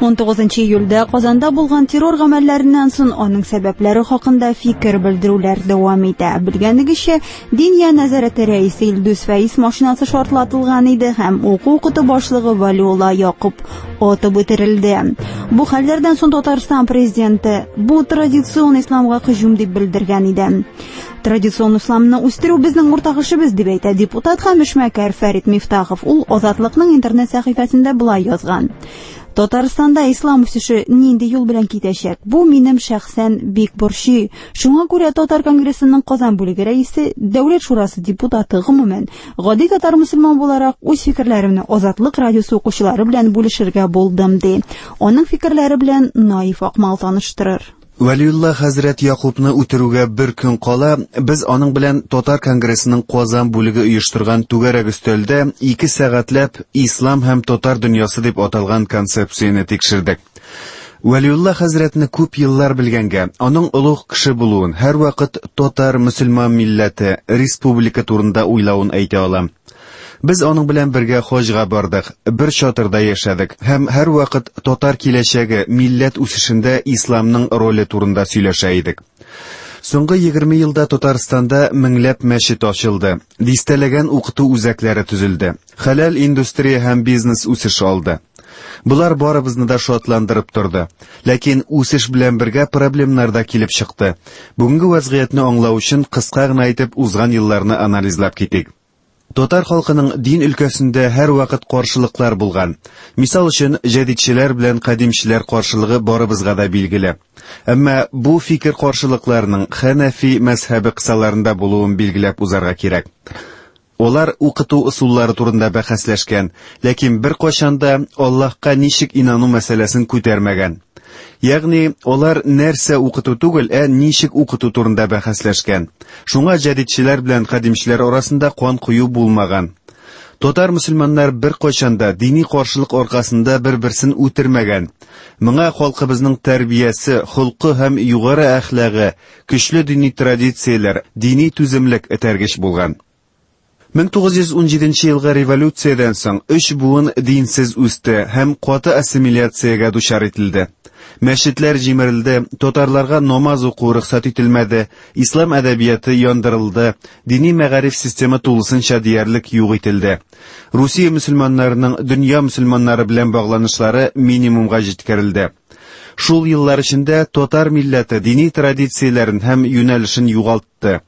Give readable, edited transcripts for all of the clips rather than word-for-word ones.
19 июльдә Казанда булган террор гамәлләреннән соң аның сәбәпләре хакында фикер белдерүләр дәвам итә. Белгәнегезчә, Диния нәзарәте рәисе Илдус Фәиз машинасы шартлатылган иде һәм уку-укыту башлыгы Валиулла Якуб атып үтерелде. Бу хәлләрдән соң Татарстан президенты бу традицион исламга һөҗүм дип белдергән иде. Традицион исламны үстерү безнең уртак эшебез дип әйтә депутат һәм эшмәкәр Фәрит Мифтахов. Ул Азатлыкның интернет сәхифәсендә болай язган. Татарстанда ислам үсеше нинди юл белән китәчәк? Бу минем шәхсән бик борчый. Шуңа күрә Татар конгрессының Казан бүлеге рәисе, Дәүләт шурасы депутаты, гомумән, гади татар мөселман буларак үз фикерләремне Азатлык радиосы укучылары белән бүлешергә булдым, ди. Аның фикерләре белән Наиф Акмал таныштырыр. Вәлиулла хәзрәт Якубны үтерүгә бер көн кала, без аның белән Татар конгрессының Казан бүлеге оештырган түгәрәк өстәлдә 2 сәгатьләп Ислам һәм татар дөньясы дип аталган концепцияне тикшердек. Вәлиулла хәзрәтне күп еллар белгәнгә, аның олуг кеше булуын, һәрвакыт татар мөселман милләте, республика турында уйлавын әйтә алам. Без аның белән бергә хаҗга бардык, бер чатырда яшәдек һәм һәрвакыт татар киләчәге, милләт үсешендә исламның роле турында сөйләшә идек. Соңгы 20 елда Татарстанда меңләп мәчет ачылды, дистәләгән укыту үзәкләре төзелде. Хәләл индустрия һәм бизнес үсеш алды. Болар барыбызны да шатландырып торды. Ләкин үсеш белән бергә проблемнар да килеп чыкты. Бүгенге вазгыятьне аңлау өчен кыска гына итеп узган елларны анализлап китик. Татар халкының дин өлкәсендә һәрвакыт каршылыклар булган. Мисал өчен, җәдидчеләр белән кадимчеләр каршылыгы барыбызга да билгеле. Әмма бу фикер каршылыкларының Хәнәфи мәзһәбе кысаларында булуын билгеләп узарга кирәк. Алар укыту ысуллары турында бәхәсләшкән, ләкин беркайчан да Аллаһка ничек инану мәсьәләсен күтәрмәгән. Ягъни, алар нәрсә укыту түгел, ә ничек укыту турында бәхәсләшкән. Шуңа җәдидчеләр белән кадимчеләр арасында кан кою булмаган. Татар мөселманнар беркайчан да дини каршылык аркасында бер-берсен үтермәгән. Моңа халкыбызның тәрбиясе, холкы һәм югары әхлагы, көчле дини традицияләр, дини түземлек этәргеч булган. 1917 елгы революциядән соң өч буын динсез үсте һәм каты ассимиляциягә дучар ителде. Мәчетләр җимерелде, татарларга намаз уку рөхсәт ителмәде, ислам әдәбияты яндырылды, дини мәгариф системы тулысынча диярлек юк ителде. Русия мөселманнарының дөнья мөселманнары белән багланышлары минимумга җиткерелде. Шул еллар эчендә татар милләте дини традицияләрен һәм юнәлешен югалтты.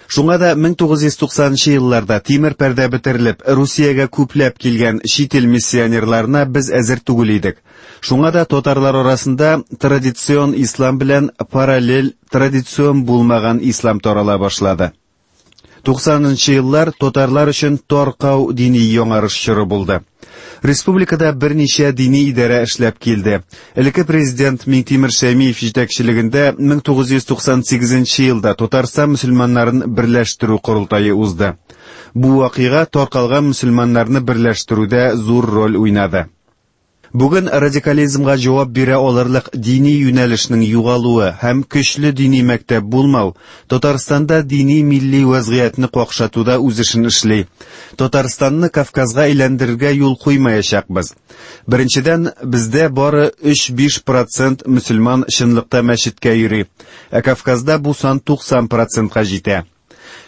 Шуңа да 1990 елларда тимер пәрдә бетерелеп, Русиягә күпләп килгән чит ил миссионерларына без әзер түгел идек. Шуңа да татарлар арасында традицион ислам белән параллель традицион булмаган ислам тарала башлады. 90 еллар татарлар өчен таркау дини яңарыш чоры булды. Республикада берничә дини идарә эшләп килде. Элекке президент Миңтимер Шәймиев җитәкчелегендә 1998 елда Татарстан мөселманнарын берләштерү корылтае узды. Бу вакыйга таркалган мөселманнарны берләштерүдә зур роль уйнады. Бүген радикализмга җавап бирә алырлык дини юнәлешнең югалуы һәм көчле дини мәктәп булмау Татарстанда дини милли вазгыятьне какшатуда үз эшен эшли. Татарстанны Кавказга әйләндерергә юл куймаячакбыз. Беренчедән, бездә бары 3-5% мөселман чынлыкта мәчеткә йөри, ә Кавказда бу сан 90%ка җитә.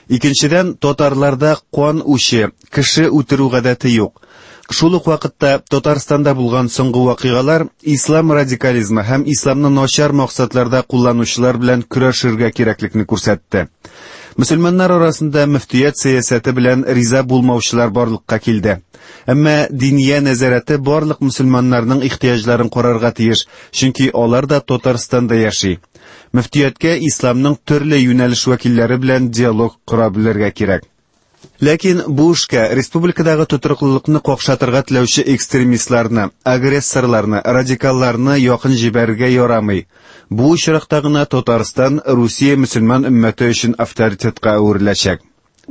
Икенчедән, татарларда кан үче, кеше үтерү гадәте юк. Шул ук вакытта Татарстанда булган соңгы вакыйгалар ислам радикализмы һәм исламны начар максатларда кулланучылар белән көрәшергә кирәклекне күрсәтте. Мөселманнар арасында мөфтият сәясәте белән риза булмаучылар барлыкка килде. Әмма диния нәзарәте барлык мөселманнарның ихтыяҗларын карарга тиеш, чөнки алар да Татарстанда яши. Мөфтияткә исламның төрле юнәлеш вәкилләре белән диалог кора белергә кирәк. Ләкин бу эшкә республикадагы тотрыклылыкны какшатырга теләүче экстремистларны, агрессорларны, радикалларны якын җибәрергә ярамый. Бу очракта гына Татарстан Русия мөселман өммәте өчен авторитетка әвереләчәк.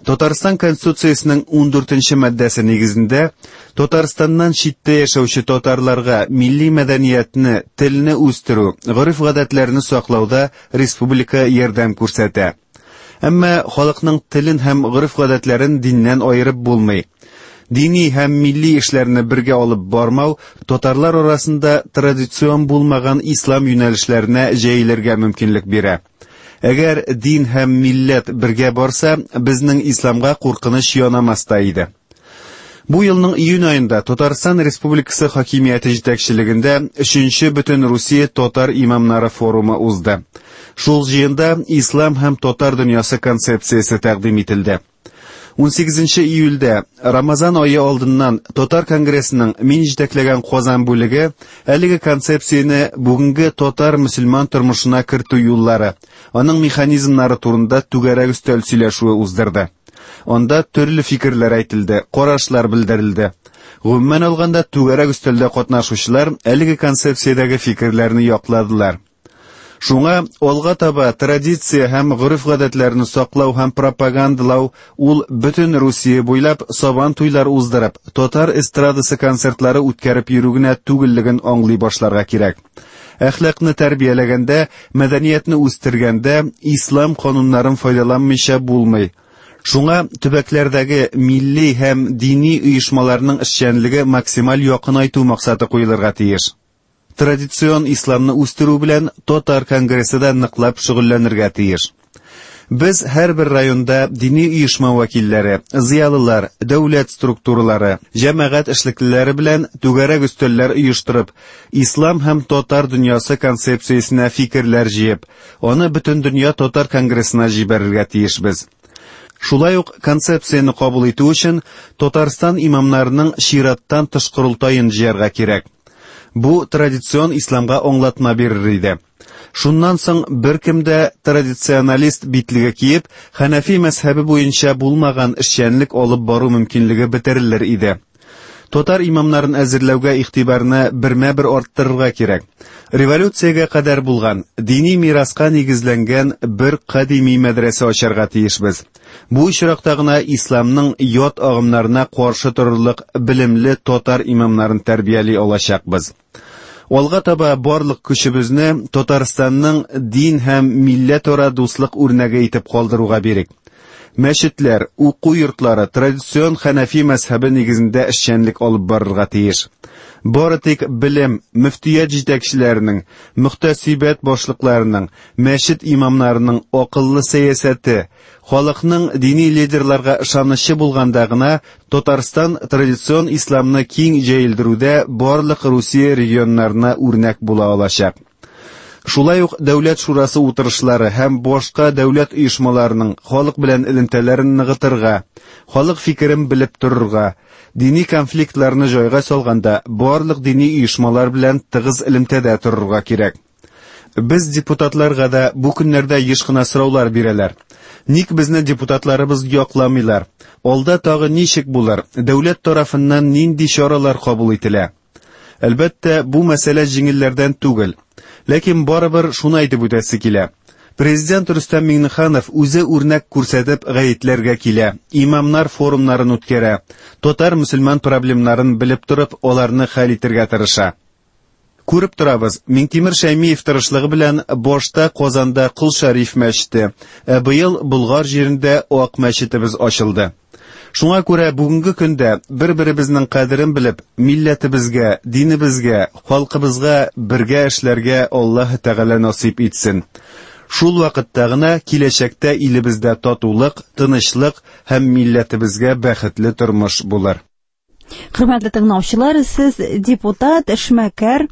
Татарстан Конституциясенең 14 маддәсе нигезендә Татарстаннан читтә яшәүче татарларга милли мәдәниятне, телне үстерү, гореф-гадәтләрне саклауда республика ярдәм күрсәтә. Әмма халыкның телен һәм гореф-гадәтләрен диннән аерып булмый. Дини һәм милли эшләрне бергә алып бармау татарлар арасында традицион булмаган ислам юнәлешләренә җәелергә мөмкинлек бирә. Әгәр дин һәм милләт бергә барса, безнең исламга куркыныч янамас та иде. Бу елның июнь аенда Татарстан Республикасы хакимияте җитәкчелегендә 3нче Бөтенрусия татар имамнары форумы узды. Шул җыенда ислам һәм татар дөньясы концепциясе тәкъдим ителде. 18 июльдә Рамазан ае алдыннан Татар конгрессының мин җитәкләгән Казан бүлеге әлеге концепцияне бүгенге татар мөселман тормышына кертү юллары, аның механизмнары турында түгәрәк өстәл сөйләшүе уздырды. Анда төрле фикерләр әйтелде, карашлар белдерелде. Гомумән алганда, түгәрәк өстәлдә катнашучылар әлеге концепциядәге фикерләрне якладылар. Шуңа алга таба традиция һәм гореф-гадәтләрне саклау һәм пропагандалау ул бөтен Русия буйлап сабан туйлар уздырып, татар эстрадасы концертлары үткәреп йөрү генә түгеллеген аңлый башларга кирәк. Әхлакны тәрбияләгәндә, мәдәниятне үстергәндә ислам кануннарын файдаланмыйча булмый. Шуңа төбәкләрдәге милли һәм дини оешмаларның эшчәнлеге максималь якынайту максаты куелырга тиеш. Традицион исламны үстерү белән Татар конгрессы да ныклап шөгыльләнергә тиеш. Без һәрбер районда дини оешма вәкилләре, зыялылар, дәүләт структуралары, җәмәгать эшлеклеләре белән түгәрәк өстәлләр оештырып, ислам һәм татар дөньясы концепциясенә фикерләр җыеп, аны Бөтендөнья татар конгрессына җибәрергә тиешбез. Шулай ук концепцияне кабул итү өчен Татарстан имамнарының чираттан тыш корылтаен җыярга кирәк. Бу традицион исламга аңлатма бирер иде. Шуннан соң беркем дә традиционалист битлеге киеп, хәнәфи мәзһәбе буенча булмаган эшчәнлек алып бару мөмкинлеге бетерелер иде. Татар имамнарын әзерләүгә игътибарны бермә-бер арттырырга кирәк. Революциягә кадәр булган, дини мираска нигезләнгән бер кадими мәдрәсә ачарга тиешбез. Бу очракта гына исламның ят агымнарына каршы торырлык белемле татар имамнарын тәрбияли алачакбыз. Алга таба барлык көчебезне Татарстанның дин һәм милләтара дуслык үрнәге итеп калдыруга бирик. Мәчетләр, уку йортлары традицион хәнәфи мәзһәбе нигезендә эшчәнлек алып барырга тиеш. Бары тик белем, мөфтият җитәкчеләренең, мөхтәсибәт башлыкларының, мәчет имамнарының акыллы сәясәте, халыкның дини лидерларга ышанычы булганда гына Татарстан традицион исламны киң җәелдерүдә барлык Русия регионнарына үрнәк була алачак. Шулай ук Дәүләт шурасы утырышлары һәм башка дәүләт оешмаларының халык белән элемтәләрен ныгытырга, халык фикерен белеп торырга, дини конфликтларны җайга салганда барлык дини оешмалар белән тыгыз элемтәдә торырга кирәк. Без депутатларга да бу көннәрдә еш кына сораулар бирәләр. Ник безне депутатларыбыз якламыйлар? Алда тагы ничек булыр? Дәүләт тарафыннан нинди чаралар кабул ителә? Әлбәттә, бу мәсьәлә җиңелләрдән түгел. Ләкин барыбер шуны әйтеп үтәсе килә. Президент Рөстәм Миңнеханов үзе үрнәк күрсәтеп гаетләргә килә, имамнар форумнарын үткәрә, татар мөселман проблемнарын белеп торып, аларны хәл итергә тырыша. Күреп торабыз, Миңтимер Шәймиев тырышлыгы белән башта Казанда Кол Шәриф мәчете, ә быел Болгар җирендә Ак мәчетебез ачылды. Шуңа күрә бүгенге көндә бер-беребезнең кадерен белеп, милләтебезгә, динебезгә, халкыбызга бергә эшләргә Аллаһ Тәгалә насыйп итсен. Шул вакытта гына киләчәктә илебездә татулык, тынычлык һәм милләтебезгә бәхетле тормыш булыр. Хөрмәтле тыңлаучылар, сез депутат, эшмәкәр,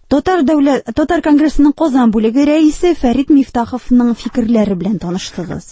Татар дәүләт Татар конгрессының Казан бүлеге рәисе Фәрит Мифтаховның фикерләре белән таныштыгыз.